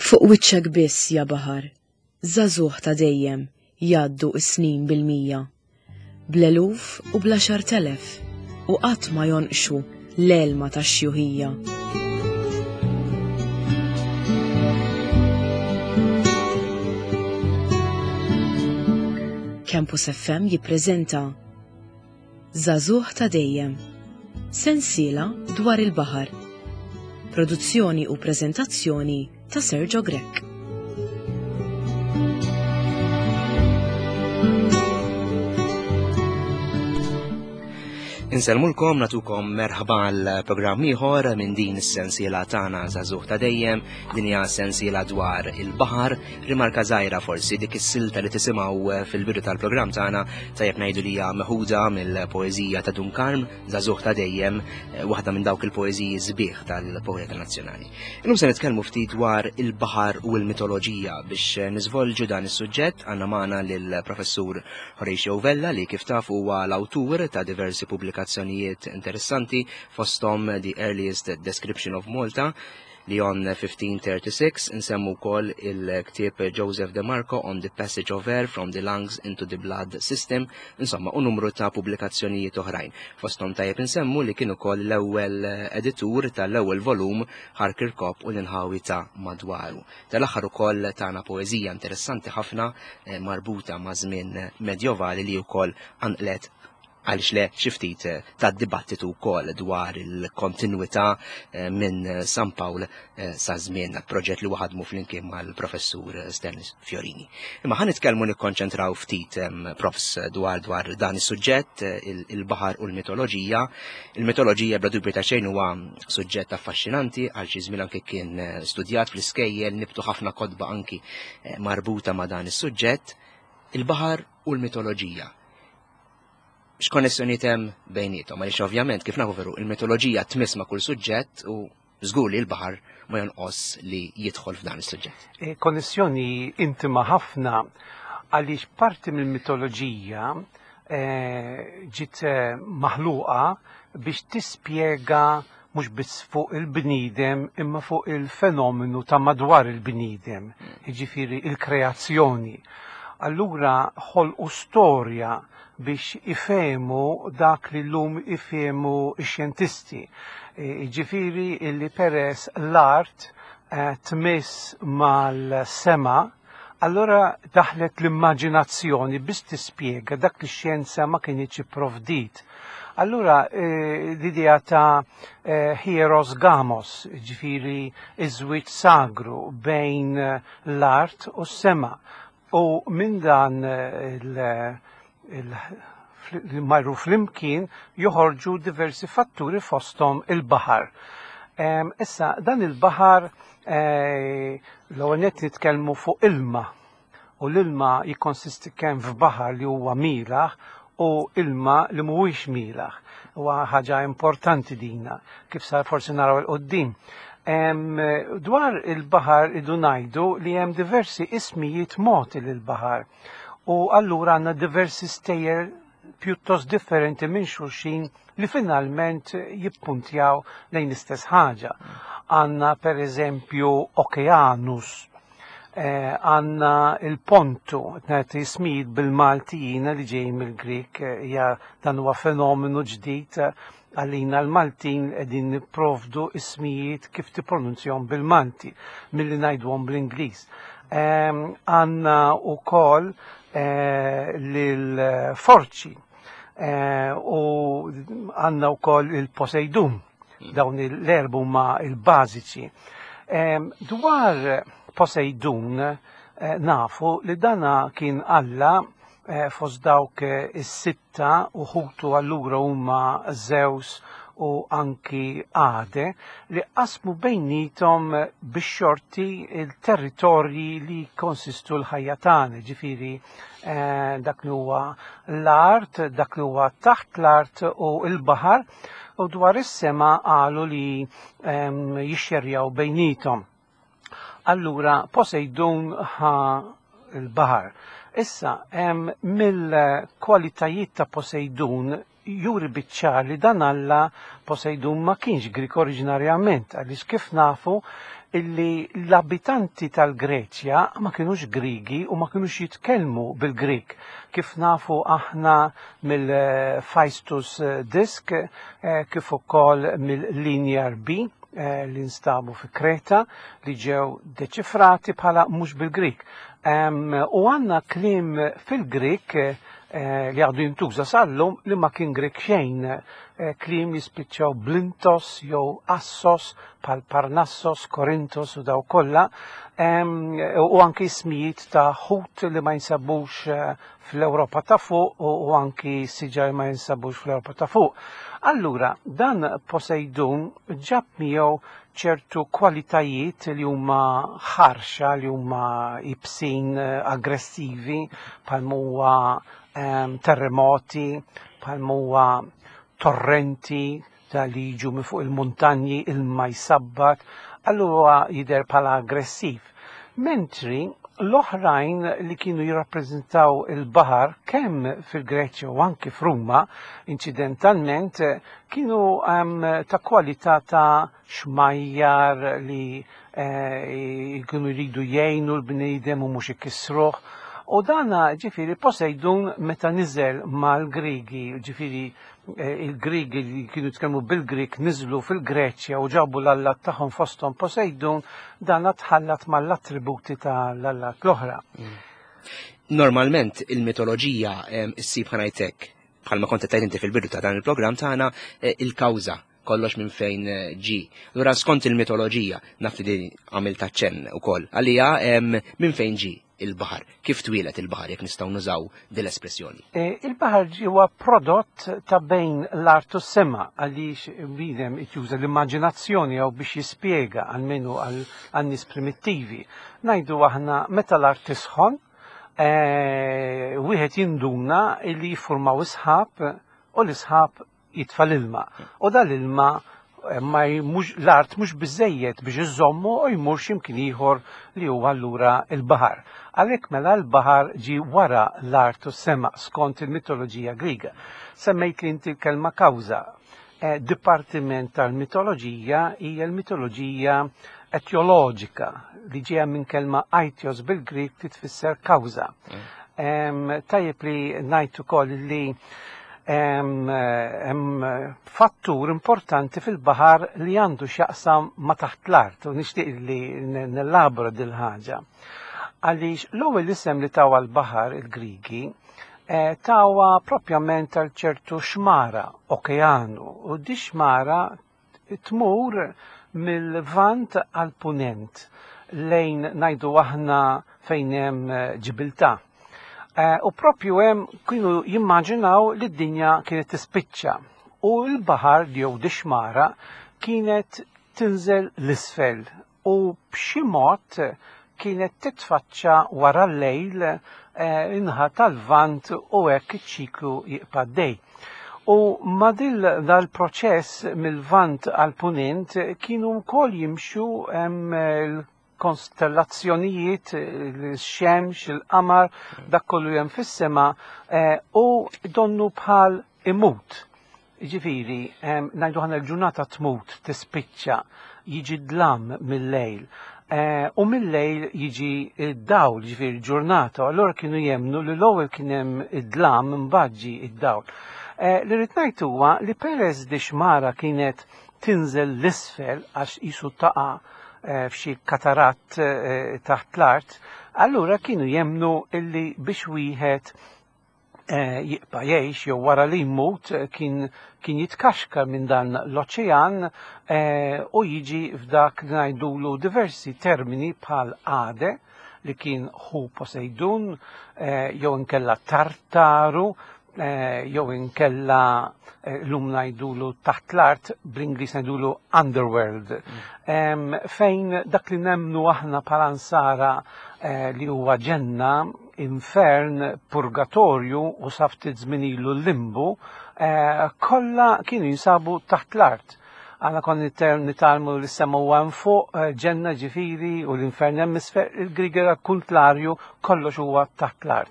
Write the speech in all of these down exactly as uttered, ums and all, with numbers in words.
Fuq wiċċek biss, ja baħar, żagħżugħ ta' dejjem jgħaddu s-snin bil-mija. Bl-eluf u bl-għaxart elef u qatt ma jonqxu l-elma tax-xjuħija. Campus F M jippreżenta Żagħżugħ ta' dejjem, sensiela dwar il-baħar. Produzzjoni u preżentazzjoni ta' Sergio Grech. Insellmulkom, natukom merħba għal programm ieħor minn din is-sensiela tagħna Żagħżugħ ta' dejjem, din hija sensiela dwar il-baħar. Rimarka żgħira forsi dik is-silta li tisimgħu fil-bidu tal-programm tagħna tajjeb ngħidu li hija meħuda mill-poeżija ta' Dun Karm, Żagħżugħ ta' dejjem, waħda minn dawk il-poeżiji sbieħ tal-poeta nazzjonali. Illum se nitkellmu ftit dwar il-baħar u l-mitoloġija. Biex niżvolġu dan is-suġġett għandna magħna lill-Professur Horatio Vella li kif taf huwa l-awtur ta' diversi pubblikazzjonijiet interessanti fosthom The Earliest Description of Malta li on fifteen thirty-six, nsemmu wkoll il-ktieb Joseph De Marco on the Passage of Air from the Lungs into the Blood System, insomma u numru ta' pubblikazzjonijiet oħrajn. Fosthom tajjeb nsemmu li kien ukoll l-ewwel editur tal-ewwel volum Ħar Kirkop u l-inħawi ta' madwaru. Tal-aħħar ukoll tagħna poeżija interessanti ħafna, eh, marbuta ma' żmien medjovali li wkoll anqlet għaliex le xi ftit ta' dibattitu wkoll dwar il-kontinwità, eh, minn San Pawl, eh, sa żmien, proġett li waħadmu flimkien mal-professur Stanley Fiorini. Imma ħa nitkellmu nikkonċentraw ftit, em, profs dwar, dwar dan is-suġġett, eh, il-, il-baħar u l-mitoloġija. Il-mitoloġija bla dubju ta' xejn huwa suġġett affaxxinanti, għal xi żmien anke kien, eh, studjat fl-iskejjel, nibtu ħafna kotba anki, eh, marbuta ma' dan is-suġġett, il-baħar u l-mitoloġija. X'konnessjonijiet hemm bejniethom? Għaliex ovvjament kif nafu veru il-mitoloġija tmiss ma' kull suġġett u żgur li l-baħar ma jonqos li jidħol f'dan is-suġġett. E, konnessjoni intima ħafna għaliex parti mill-mitoloġija, e, ġiet, e, maħluqa biex tispjega mhux biss fuq il-bniedem imma fuq il-fenomenu ta' madwar il-bniedem, jiġifieri il-kreazzjoni. Allura ħolqu storja biex ifehmu dak li llum ifehmu x-xjentisti. E, jiġifieri illi peress l-art, eh, tmiss mal-sema, allura daħlet l-immaġinazzjoni biex tispjega dak li x-xjenza ma kinitx ipprovdit. Allura, eh, l-idea ta', eh, Hieros Gamos, ġifieri iż-żwieġ sagru bejn l-art u s-sema. U minn dan, eh, il-, il-, li marru flimkien joħorġu diversi fatturi fosthom il-baħar. Em, issa, dan il-baħar, eh, l-ewwel nett nitkellmu fuq ilma, u l-ilma jikkonsisti kemm f'baħar li huwa mielaħ u ilma li mhuwiex mielaħ. Huwa ħaġa importanti dina, kif sa forsi naraw il-qoddim. Em, dwar il-baħar idu ngħidu li hemm diversi ismijiet mogħti lill-baħar. U allura għandna diversi stejjer pjuttost differenti minn xulxin li finalment jippuntjaw lejn l-istess ħaġa. Għandna per eżempju Okeanus, eh, għandna il-Pontu, qed ismijiet bil-Maltijina li ġej mill-Grik, eh, hija dan huwa fenomenu ġdid għalina l-Maltin qegħdin nipprovdu ismijiet kif tippronunzjahom bil-Malti milli ngħiduhom bl-Ingliż. Em, għandna wkoll, eh, lil-Forċi, eh, u għandna wkoll il-Poseidun, dawn l-erbu ma il-bażiċi. Em, dwar Poseidun, eh, nafu li dana kien Alla, eh, fost dawk is-sitta u ħutu allura huma Zeus u anki Ade li qasmu bejnietom bix-xorti il-territorji li konsistu l-ħajja tagħna, ġifieri, eh, dak li huwa l-art, dak li huwa taħt l-art u l-baħar, u dwar is-sema qalu li, ehm, jixxerjaw bejnietom. Allura Poseidun ħa l-baħar. Issa, hemm mill-kwalitajiet ta' Poseidun juri biċ-ċar li dan Alla Poseidon ma kienx Grik oriġinarjament, għaliex kif nafu illi l-abitanti tal-Greċja ma kienux Grigi u ma kienux jitkellmu bil-Grik. Kif nafu aħna mill-Phaistos Disk, kif ukoll mill-Linear B li nstabu fi Kreta li ġew deċifrati bħala mhux bil-Grik. U għandna kliem fil-Grik li għadu jintuża sal-lum li ma kien Grik xejn, kliem jispiċċaw blintos jew assos bħal Parnassos, Korintos u daw kollha, u anki ismijiet ta' ħut li ma jinsabux fl-Ewropa ta' fuq u anki siġar ma jinsabux fl-Ewropa ta' fuq. Allura, dan Poseidon ġab miegħu ċertu kwalitajiet li huma ħarxa, li huma ibsin, aggressivi, bħal huwa terremoti, bħal huwa torrenti ta' li jiġu minn fuq il-muntanji, ilma jsabbat, allura jidher bħala aggressiv. Mentri l-oħrajn li kienu jirrappreżentaw il-baħar kemm fil-Greċja u anki f'Ruma, incidentalment, kienu ta' kwalità ta' xmajjar li kienu jridu jgħinu l-bniedem u mhux ikissruh. U dana ġifieri Poseidon meta niżel mal-Grigi, ġifieri il-Grigi li kienu jitkellmu bil-Grik niżlu fil-Greċja u ġabu l-allat tagħhom fosthom Poseidon, dana tħallat mal-attributi tal-allat l-oħra. Normalment il-mitoloġija issib ħanajtek, bħalma kont qed inti fil-bidu ta' dan il-programm tagħna, il-kawża kollox minn fejn ġi. Allura skont il-mitoloġija, naf li din għamilt aċċenn ukoll, għalija minn fejn ġi il-baħar, kif twieled il-baħar jekk nistgħu nużaw din l-espressjoni? Il-baħar huwa prodott ta' bejn l-art u s-sema, għaliex bniedem juża l-immaġinazzjoni jew biex jispjega għalmenu għan-nies primittivi. Ngħidu aħna meta l-art tisħon, wieħed jinduna li jiffurmaw isħab u l-isħab jitfa' l-ilma. U dal-ilma ma mhux l-art mhux biżejjed biex iżommu u jmur x'imkien ieħor li huwa allura l-baħar. Għalhekk mela l-baħar ġi wara l-art u s-sema skont il-mitoloġija Griega. Semmejt li inti l-kelma kawża. Dipartiment tal-mitoloġija hija l-mitoloġija etjoloġika li ġejja minn kelma aitios bil-Grik li tfisser kawża. Tajjeb li ngħid ukoll li hemm fattur importanti fil-baħar li għandu x'jaqsam ma' taħt l-art u nixtieq li nellabora dil ħaġa. Għaliex l-ewwel isem li tawa l-baħar il-Grigi tawa propjament għal ċertu xmara, okeanu, u di xmara tmur mill-Lvant għal punent lejn ngħidu aħna fejn hemm Ġibiltà. U propju hemm kienu jimmaġinaw li d-dinja kienet tispiċċa u l-baħar jew di xmara kienet tinżel l-isfel u b'xi mod kienet titfaċċa wara l-lejl inħa tal-Lvant u hekk iċ-ċiklu jibqa' dej. U ma dil dal-proċess mill-Lvant għal-Punent kienu wkoll jimxu l-konstellazzjonijiet, il-xemx, il-qamar, dak kollu hemm fis-sema u donnu bħal imut. Ġifieri, ngħidu ħana l-ġurnata tmut, tispiċċa, jiġi dlam mill-lejl. U mill-lejl jiġi id-dawl, ġifieri ġurnata, allura kienu jemnu li l-ewwel kien hemm id-dlam imbagħad ġie id-dawl. Li rrid ngħid huwa li peress di xmara kienet tinżel l-isfel għax qisu taqa' f'xi kataratt taħt l-art, allura kienu jemnu illi biex wieħed jibqa' jgħix jew wara li jmut kien kien jitkaxka minn dan l-oċean u jiġi f'dak li ngħidulu diversi termini bħal Ade li kien ħu Poseidon, jew inkella Tartaru, jew inkella llum ngħidulu taħt l-art, bl-Ingliż ngħidulu underworld, fejn dak li nemmnu aħna bħala nsara li huwa ġenna, infern, purgatorju u sa ftit żmien ilu l-limbu, kollha kienu jinsabu taħt l-art. Għana kon nitalmu li s-sema huwa hemm fuq, ġenna ġifieri u l-infern hemm isfel, il-Grieg era kuntlarju kollox huwa taħt l-art.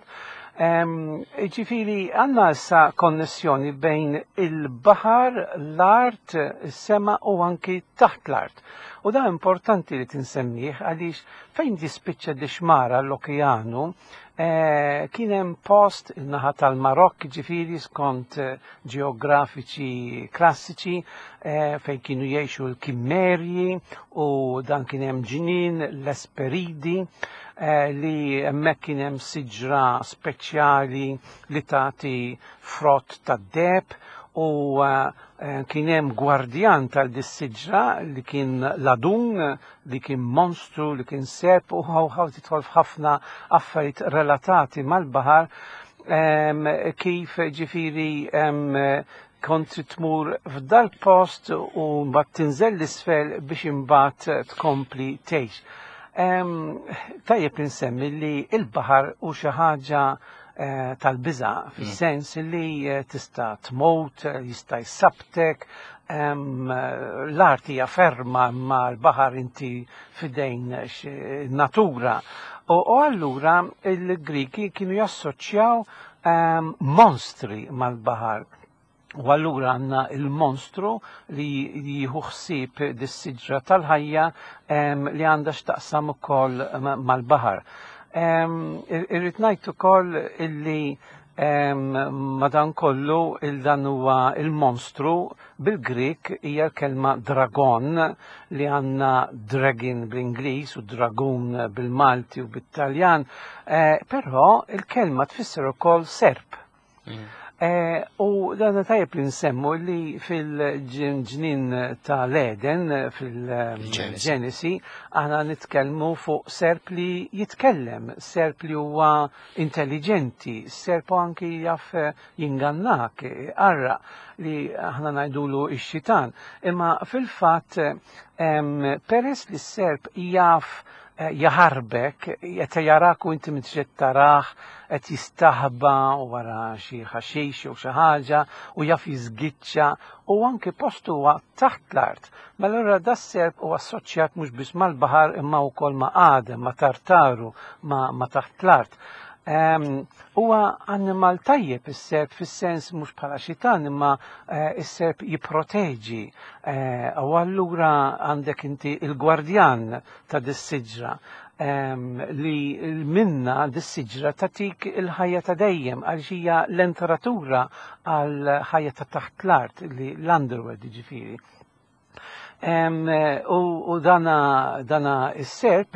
Ġifieri għandna issa konnessjoni bejn il-baħar, l-art, is-sema u anki taħt l-art. U da importanti li tinsemmih għaliex fejn jispiċċa dix-xmara l-okeanu, eh, kien hemm post in-naħa tal-Marokk, ġifieri skont eh, ġeografiċi klassiċi, eh, fejn kienu jgħixu l-Kimmerji u dan kien hemm ġnien l-Esperidi, li hemmhekk kien hemm siġra speċjali li tagħti frott tad-deheb u kien hemm gwardjan tal-dis-siġra li kien ladun, li kien monstru, li kien serp u ħaw tidħol f'ħafna affarijiet relatati mal-baħar, kif ġifieri kont tmur f'dal post u mbagħad tinżel l-isfel biex imbagħad tkompli tgħix. Tajjeb insemmi li il-baħar hu xi ħaġa tal-biża, fis-sens li tista' tmut, jista' jsabtek, l-art hija ferma ma l-baħar inti fidejn natura. U allura il-Griki kienu jassoċjaw monstri mal-baħar. U allura għandna il-monstru li jieħu ħsieb dis-siġra tal-ħajja li għandha x'taqsam ukoll mal-baħar. Irrid ngħid ukoll illi madankollu il-dan huwa il-monstru bil-Grik hija l-kelma dragon li għandna dragon bl-Ingliż u dragun bil-Malti u bit-Taljan, però il-kelma tfisser ukoll serp. U dan tajjeb li nsemmu li fil-ġnien tal-Eden, fil-Ġenesi, aħna nitkellmu fuq serp li jitkellem, serp li huwa intelligenti, serp anki jaf jingannak, arra li aħna ngħidulu x-xitan. Imma fil-fatt peress li s-serp jaf jaħarbek, qed jarak u inti m'intix tarah, qed jistaħba wara xi ħaxix jew xi ħaġa u jaf jiżgiċċa u anke postu huwa taħt l-art. Mela allura das-serp huwa assoċjat mhux biss mal-baħar imma wkoll ma' Adem, ma' Tartaru, ma' taħt l-art. Huwa annimal tajjeb is-serp fis-sens mhux bħala xitan imma is-serp jipproteġi. U allura għandek inti il-gwardjan ta' dis-siġra li minna dis-siġra tatik il-ħajja ta' dejjem għaliex hija l-entratura għal ħajja ta' taħt l-art li l-underworld ġifieri. U dana dana is-serp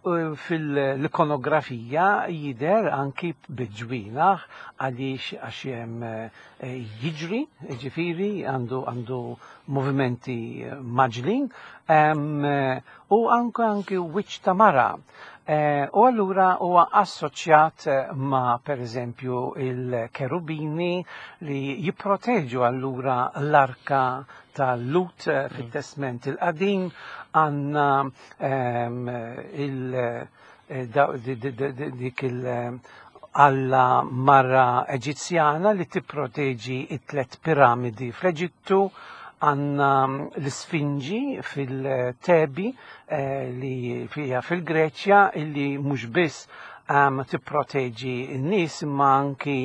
fil-ikonografija jidher anki biġwinaħ għaliex għax hemm jiġri, ġifieri għandu għandu movimenti maġlin u anke anki wiċċ ta' mara. U allura huwa assoċjat ma' pereżempju il-kerubini li jipproteġu allura l-arka tal-Lut fit-Testment il-Qadim, għandna dik il-alla mara Eġizzjana li tipproteġi it-tlet piramidi fl-Eġittu, għandna l-Sfinġi fil-Tebi li fija fil-Greċja illi mhux biss tipproteġi n-nies imma anki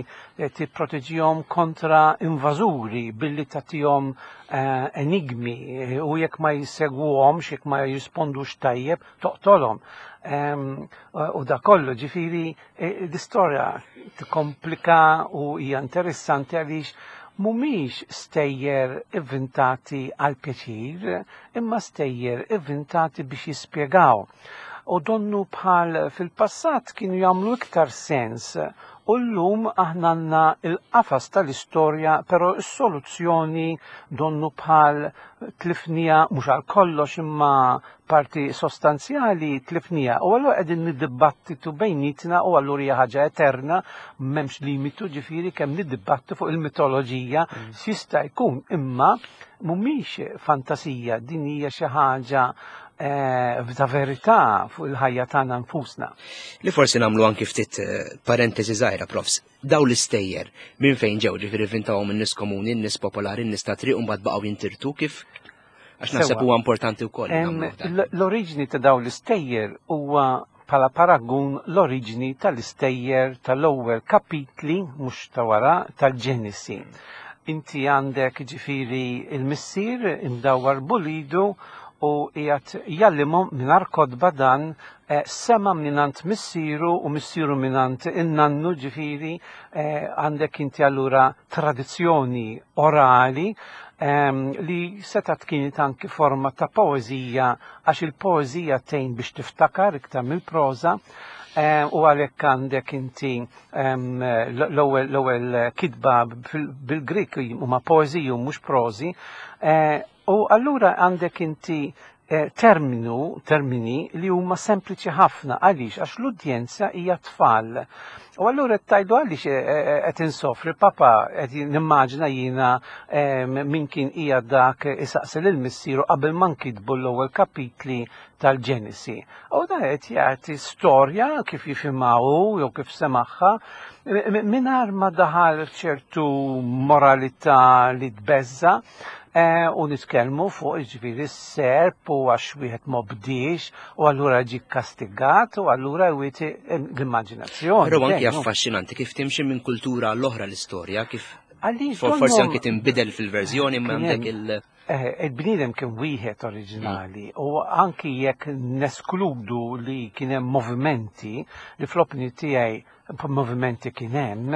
tipproteġihom kontra invażuri billi tagħtihom enigmi u jekk ma jsegwuhomx, jekk ma jirrispondux tajjeb, toqtolhom. U da kollu ġifieri l-istorja tikkomplika u hija interessanti għaliex mhumiex stejjer ivvintati għal pjaċir, imma stejjer ivvintati biex jispjegaw. U donnu bħal fil-passat kienu jagħmlu iktar sens u llum aħna għandna il-qafas tal-istorja, però s-soluzzjoni donnu bħal tlifnija mhux għal kollox imma parti sostanzjali tlifnija. U allura qegħdin niddibattitu bejnietna u allura hija ħaġa eterna, m'hemmx limitu ġifieri kemm niddibattu fuq il-mitoloġija x'jista' jkun, imma mhumiex fantasija, din hija xi ħaġa ta' verità fuq il-ħajja tagħna nfusna. Li forsi nagħmlu anki ftit parentesi żgħira, profs. Daw l-istejjer minn fejn ġew, ġifieri vintawhom in-nies komuni, in-nies popolari, in-nies ta' triq u mbagħad baqgħu jintirtu kif? Għax naħseb huwa importanti wkoll. L-oriġini ta' daw l-istejjer huwa bħala paragun l-oriġini tal-istejjer tal-ewwel kapitli, mhux ta' wara, tal-Ġenesi. Inti għandek ġifieri il-missier imdawwar b'uliedu u qiegħed jgħallimhom mingħajr kotba dan eh, sema mingħand missieru u missieru mingħand in-nannu, ġifieri eh, għandek inti allura tradizzjoni orali ehm, li setat kienet anki forma ta' poezija, għax il-poezija tgħin biex tiftakar iktar mill-proża, eh, u għalhekk għandek inti ehm, l-ewwel l-ewwel kitba bil-Grik huma poeziji u mhux prożi, eh, u allura għandek inti eh, terminu, termini li huma sempliċi ħafna. Għaliex? Għax l-udjenza hija tfal. U allura qed tgħidu għaliex eh, eh, qed insofri, papa, qed nimmaġina jiena eh, min kien hija dak isaqsi lil missieru qabel ma nkitbu l-ewwel kapitli tal-Ġenesi. U dan qed jagħti storja kif jifhimha hu jew kif semagħha mingħajr ma daħal ċertu moralità li tbeżza, eh, u nitkellmu fuq ġifieri s-serp u għax wieħed m'obdiex u allura ġie kastigat u allura jwieti l-immaġinazzjoni. Però anki Dejjem. affaxxinanti kif timxi minn kultura l-oħra l-istorja, kif Għaliex for- forsi donnhom- anki tinbidel fil-verżjoni imma Kien għandek hemm- il- Eh, Il-bniedem kien wieħed oriġinali u anki jekk neskludu li kien hemm movimenti, li fl-opinjoni tiegħi movimenti kien hemm,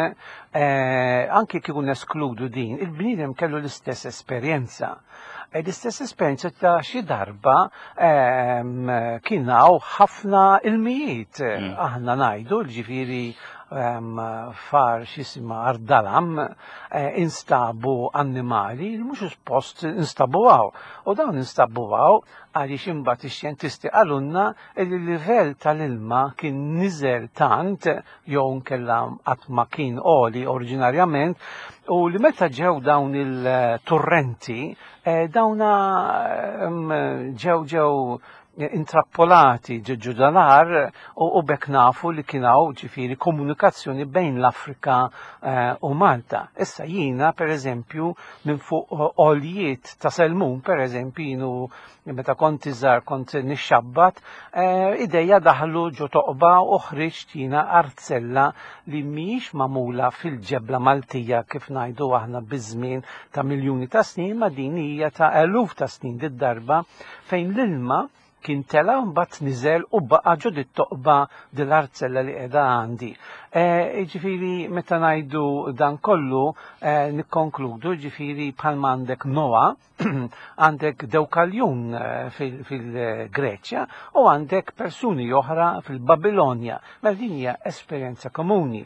eh, anki kieku neskludu din, il-bniedem kellu l-istess esperjenza. E L-istess esperjenza ta' xi darba ehm, kien hawn ħafna ilmijiet. Mm. Aħna ngħidu ġifieri ehm, f'għar x'jisimha Għar Dalam eh, instabu annimali li mhux suppost instabu hawn. U dawn instabu hawn għaliex imbagħad ix-xjentisti qalulna li l-livell tal-ilma kien niżel tant jew nkella qatt ma kien għoli oriġinarjament, u li meta ġew dawn il-torrenti eh, dawna ehm, ġew ġew intrappolati ġo dal-għar u, u bekk nafu li kien hawn ġifieri komunikazzjoni bejn l-Afrika eh, u Malta. Issa jiena per eżempju minn fuq għoljiet ta' Selmun, per eżempju, jienu meta kont iżgħar kont nixxabbat, eh, idejja daħlu ġo toqba u ħriġt jiena arzella li mhijiex magħmula fil-ġebla Maltija kif ngħidu aħna biż-żmien ta' miljuni ta' snin, ma din hija ta' eluf ta' snin did-darba, fejn l-ilma kien tela mbagħad niżel u baqa' ġo dit-toqba dil-arzella li qiegħda għandi. Eh, Ġifieri meta ngħidu dan kollu eh, nikkonkludu ġifieri bħalma għandek Noa, għandek Deukaljun eh, fil- fil-Greċja u għandek persuni oħra fil-Babilonja. Mela din hija esperjenza komuni.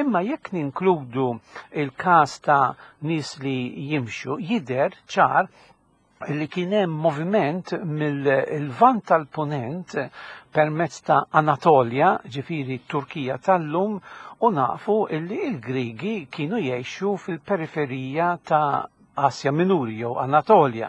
Imma jekk ninkludu il-każ ta' nies li jimxu, jidher ċar li kien hemm moviment mill-Lvant tal-Punent permezz ta' Anatolja, ġifieri Turkija tal-lum, u nafu illi il-Grigi kienu jgħixu fil-periferija ta' Asja Minuri jew Anatolja.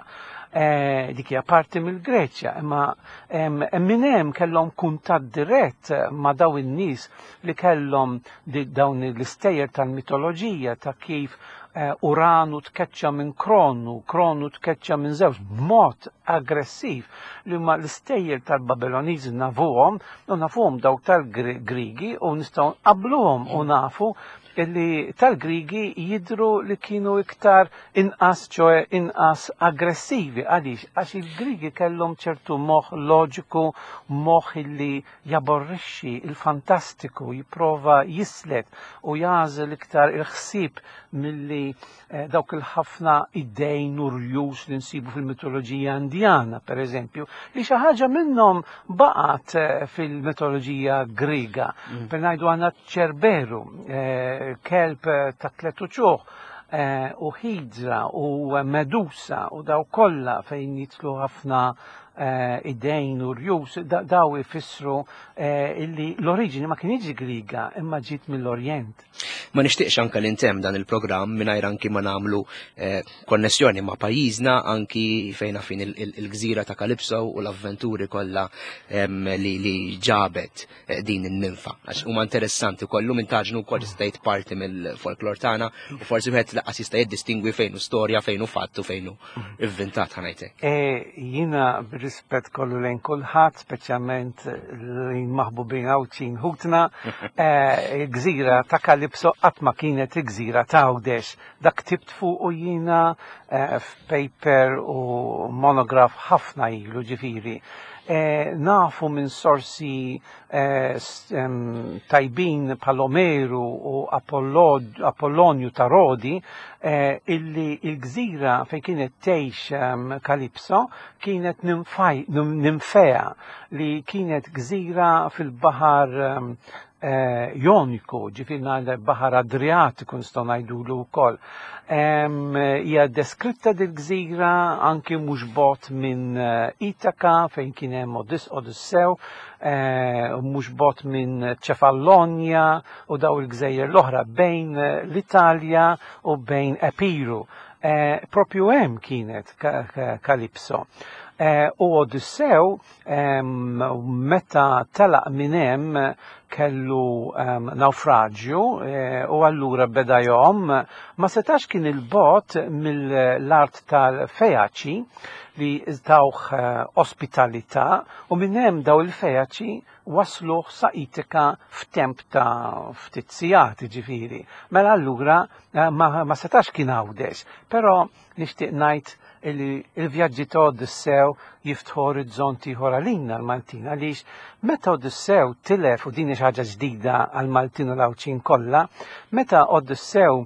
Eh, dik hija parti mill-Greċja, imma em, minn hemm kellhom kuntatt dirett ma' daw in-nies li kellhom di- dawn l-istejjer tal-mitoloġija ta' kif eh, Uranu tkeċċa minn Kronu, Kronu tkeċċa minn Zeus b'mod aggressiv, li huma l-istejjer tal-Babiloniżi nafuhom u nafuhom dawk tal-Grigi u nistgħu nqabbluhom u nafu illi tal-Grigi jidru li kienu iktar inqas, ċoe inqas aggressivi. Għaliex? Għax il-Grigi kellhom ċertu moħ loġiku, moħ illi jaborrixxi il-fantastiku, jipprova jislet u jagħżel iktar il-ħsieb milli eh, dawk il-ħafna idejn u rjus li nsibu fil-mitoloġija Indjana, per eżempju, li xi ħaġa minnhom baqgħet eh, fil-mitoloġija Griega. Per ngħidu għandna Ċerberu, eh, kelb eh, ta' tliet uċuħ, eh, u Hidra u Medusa u daw kollha fejn jidħlu ħafna eh, idejn u rjus, da- daw ifissru eh, illi l-oriġini ma kienx Griega imma ġiet mill-Orjent. Ma nixtieqx anka li ntemm dan il-programm mingħajr anki ma nagħmlu eh, konnessjoni ma' pajjiżna, anki fejn fin il- il- il-gżira ta' Kalipso u l-avventuri kollha em, li, li ġabet eh, din in-ninfa. Għax huma interessanti kollu minn taġnu wkoll tista' tgħid parti mill-folklor tagħna u forsi wieħed lanqas jista' jiddistingwi fejn hu storja, fejn hu fatt u fejn hu ivvintat, ħa ngħidlek. E, jina bir Bir-rispett kollu lejn kulħadd, speċjalment lejn maħbubin Għawdxin ħutna, eh, il-gżira ta' Kalipso qatt ma kienet il-gżira ta' Għawdex. Dak ktibt fuq u jiena eh, f'paper u monograph ħafna ilu, ġifieri. Eh, nafu minn sorsi eh, tajbin bħal Omeru u Apollonju ta' Rodi eh, illi il-gżira fejn kienet tgħix Kalipso kienet Ninfea, li kienet gżira fil-baħar Joniku, ġifieri baħar Adriatiku nistgħu ngħidulu wkoll. Hija deskritta dil-gżira anki mhux bogħod minn Itaka fejn kien hemm Odissew, mhux bogħod minn Ċefallonja u daw il-gżejjer l-oħra bejn l-Italja u bejn Epiru. Propju hemm kienet Kalipso. U Odissew meta telaq minn hemm kellu naufraġju u allura beda jom ma setax kien il-bot mill-art tal-Fejaċi li tawh ospitalità, u minn hemm daw il-Fejaċi wasluh sa Itika f'temp ta' ftit sigħat, ġifieri. Mela allura ma, ma setax kien Għawdex, però nixtieq ngħid illi il-vjaġġi ta' Odissew jiftħu orizzonti ieħor għalina l-Maltin, għaliex meta Odissew tilef, u din xi ħaġa ġdida għal-Maltin u l-Għawdxin kollha, meta Odissew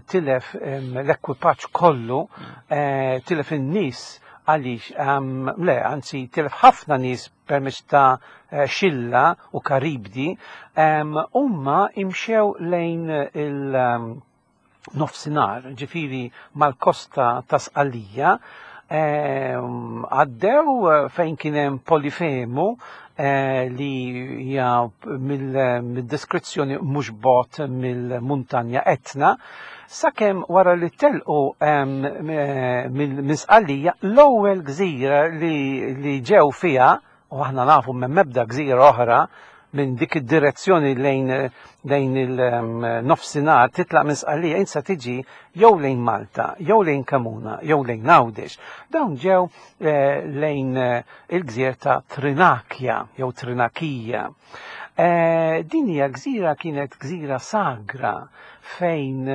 tilef l-ekwipaġġ kollu, tilef in-nies għaliex, le, anzi tilef ħafna nies permezz ta' Xilla u Karibdi, huma imxew lejn il- nofsinhar, ġifieri mal-kosta ta' Sqallija, għaddew fejn kien hemm Polifemu li hija mill-deskrizzjoni mhux bogħod mill-muntanja Etna, sakemm wara li telqu minn Sqallija l-ewwel gżira li ġew fiha, u aħna nafu minn mebda gżira oħra minn dik id-direzzjoni lejn lejn il-nofsinhar titlaq minn Sqallija insa tiġi jew lejn Malta, jew lejn Kamuna, jew lejn Għawdex. Dawn ġew lejn il-gżira ta' Trinakja jew Trinakija. Din hija gżira kienet gżira sagra fejn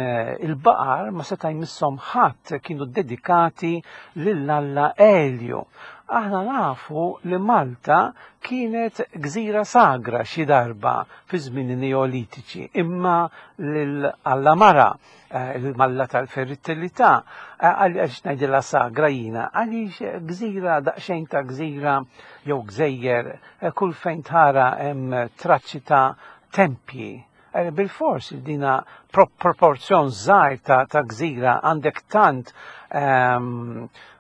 il-baqar ma seta' jmisshom ħadd, kienu dedikati lil Alla Elju. Aħna nafu li Malta kienet gżira sagra xi darba fi żmien Neolitiċi, imma lil Alla Mara, il-Malla tal-fertilità, għaliex ngħidilha sagra jiena, għaliex gżira daqsxejn ta' gżira jew gżejjer, kull fejn tara hemm traċċi ta' tempji. Bil-fors dina proporzjon żgħir ta' gżira għandek tant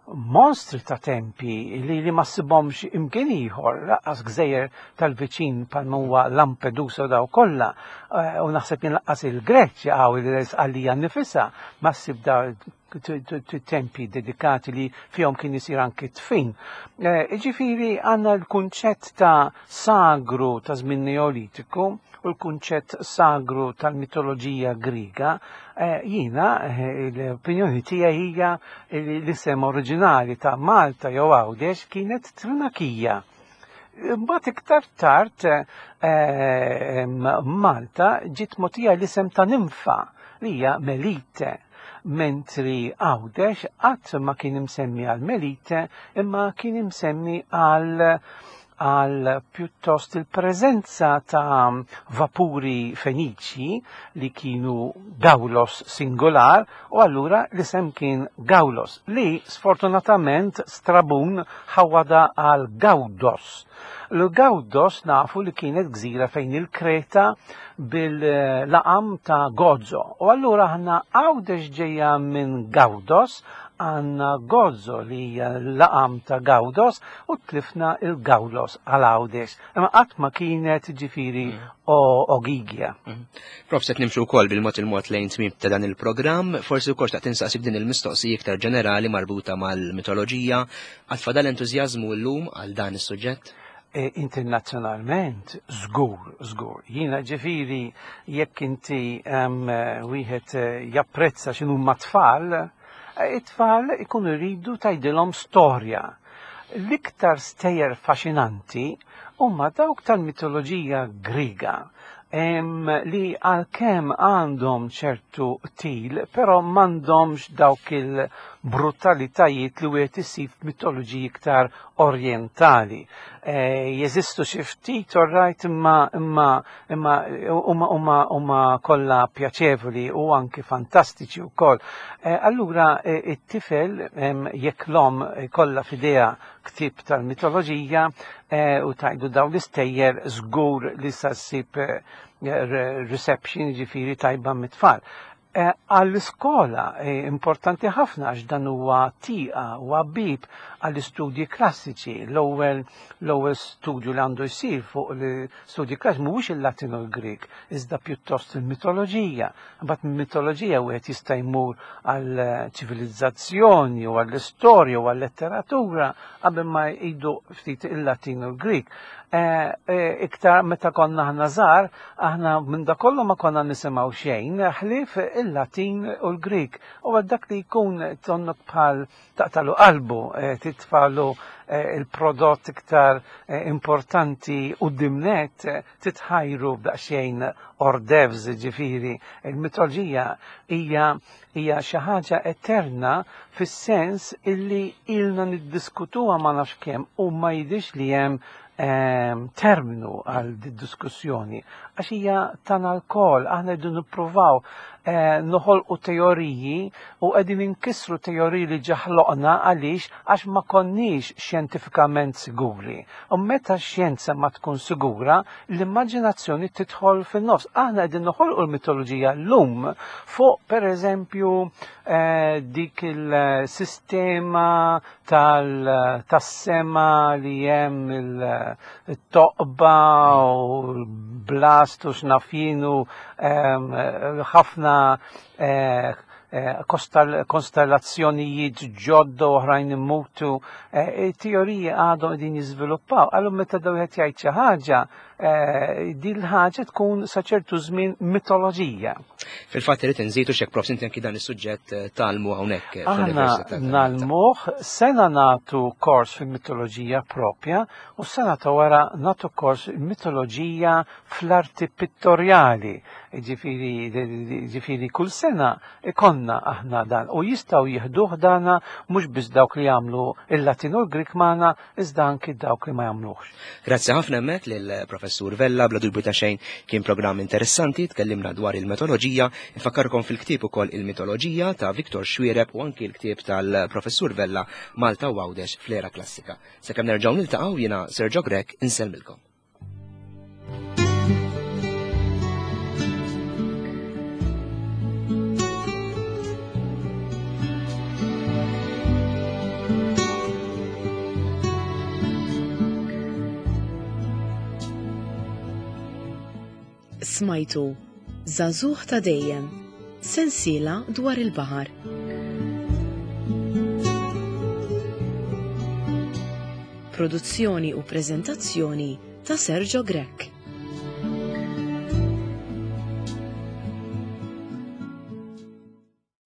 monstri ta' tempi li li ma ssibhomx imkien ieħor, lanqas gżejjer tal-viċin bħal huwa Lampedusa daw kollha, u naħseb jien lanqas il-Greċja għaw il-Sqallija nnifisha ma ssib da tempi dedikati li fihom kien isir anki tfin. Ġifieri għandna l-kunċett ta' sagru ta' żmien Neolitiku u l-kunċett sagru tal-mitoloġija Griega. Jiena l-opinjoni tiegħi hija li l-isem oriġinali ta' Malta jew Għawdex kienet Trinakija. Mbagħad iktar tard Malta ġiet mogħtija l-isem ta' Ninfa li hija Melite, mentri Għawdex qatt ma kien imsemmi għal Melite imma kien imsemmi għal għal pjuttost il-preżenza ta' vapuri feniċi li kienu Gawlos singolar, u allura l-isem kien Gawlos, li sfortunatament Strabun ħawada għal Gawdos. L-Gawdos nafu li kienet gżira fejn il-Kreta bil-laqam ta' Gozo. U allura aħna Għawdex ġejja minn Gawdos, għanna Gozo li hija l-laqam ta' Gawdos, u tlifna il-Gawlos għal Għawdex. Imma qatt ma kienet ġifieri Ogigja. Prof, se nimxu wkoll bil-mod il-mod lejn tmiem ta' dan il-programm, forsi wkoll xtaqt insaqsik din il-mistoqsija iktar ġenerali marbuta mal-mitoloġija, għad fadal entużjażmu llum għal dan is-suġġett? Internazzjonalment, żgur, żgur. Jiena ġifieri jekk inti wieħed japprezza x'inhuma tfal, it-tfal ikunu jridu tgħidilhom storja. L-iktar stejjer faxinanti huma dawk tal-mitoloġija Griega, em, li għalkemm għandhom ċertu til, però m'għandhomx dawk il-brutalitajiet li wieħed isib f'mitoloġiji iktar orjentali. E, jeżistu xi ftit orrajt imma imma imma huma huma huma kollha pjaċevoli u anki fantastiċi wkoll. E, allura e, it-tifel em, jekk l-omm kollha f'idea ktieb tal-mitoloġija e, u tajdu dawn l-istejjer żgur li sa ssib e, reception ġifieri tajba mit-tfal. Eh, Għall-iskola eh, importanti ħafna għax dan huwa tieqa huwa bib għall-istudji klassiċi. L-ewwel l-ewwel studju li għandu jsir fuq l-istudji klassiċi mhuwiex il-Latin u l-Grik, iżda pjuttost il-mitoloġija. Mbagħad mill-mitoloġija wieħed jista' jmur għall-ċivilizzazzjoni u għall-istorja u għall-letteratura qabel ma jgħidu ftit il-Latin u l-Grik. Eh, eh, iktar meta konna aħna żgħar, aħna minn da kollu ma konna nisimgħu xejn, ħlief il-Latin u l-Grik. U għal dak li jkun tonnok bħal taqtalu qalbu, eh, titfalu eh, il-prodott iktar eh, importanti u dimnet titħajru b'daqsxejn ordevs ġifieri. Il-mitoloġija hija hija xi ħaġa eterna fis-sens illi ilna niddiskutuha ma nafx kemm u ma jidhirx li hemm ehm, terminu għal diskussjoni għax hija tagħna lkoll, aħna rridu nippruvaw eh, noħolqu teoriji u qegħdin inkissru teoriji li ġaħloqna għaliex għax ma konniex xjentifikament siguri. U meta x-xjenza ma tkun sigura, l-immaġinazzjoni tidħol fin-nofs. Aħna qegħdin noħolqu l-mitoloġija llum fuq pereżempju eh, dik il-sistema tal- tas-sema li hemm il-toqba u l-blast u x'nafjinu ehm, ħafna eh, eh, kostal- konstellazzjonijiet ġodda oħrajn immutu, eh, teoriji għadhom qegħdin jiżviluppaw. Allura meta daw qed jgħid xi ħaġa, eh, din l-ħaġa tkun sa ċertu żmien mitoloġija. Fil-fatt irid inżidu xek prof inti anki dan is-suġġett eh, talmu hawnhekk Aħna fl-Università ta' Malta. nalmuh, sena natu kors fil-mitoloġija propja u sena ta' wara natu kors mitoloġija fl-arti pittorjali. Ġifieri, ġifieri kull sena ikonna aħna dan u jistgħu jieħduh dana mhux biss dawk li jagħmlu il-Latin u l-Grik magħna iżda anki dawk li ma jagħmluhx. Grazzi ħafna hemmhekk lill-Professur Vella, bla dubju ta' xejn kien programm interessanti, tkellimna dwar il-metoloġija, infakkarkom fil-ktieb ukoll il-mitoloġija ta' Viktor Xuereb u anki l-ktieb tal-Professur Vella Malta u Għawdex fl-era klassika. Sakemm nerġgħu niltaqgħu jiena Sergio Grech insellmilkom. Smajtu Żagħżugħ ta' dejjem, sensiela dwar il-baħar. Produzzjoni u preżentazzjoni ta' Sergio Grech.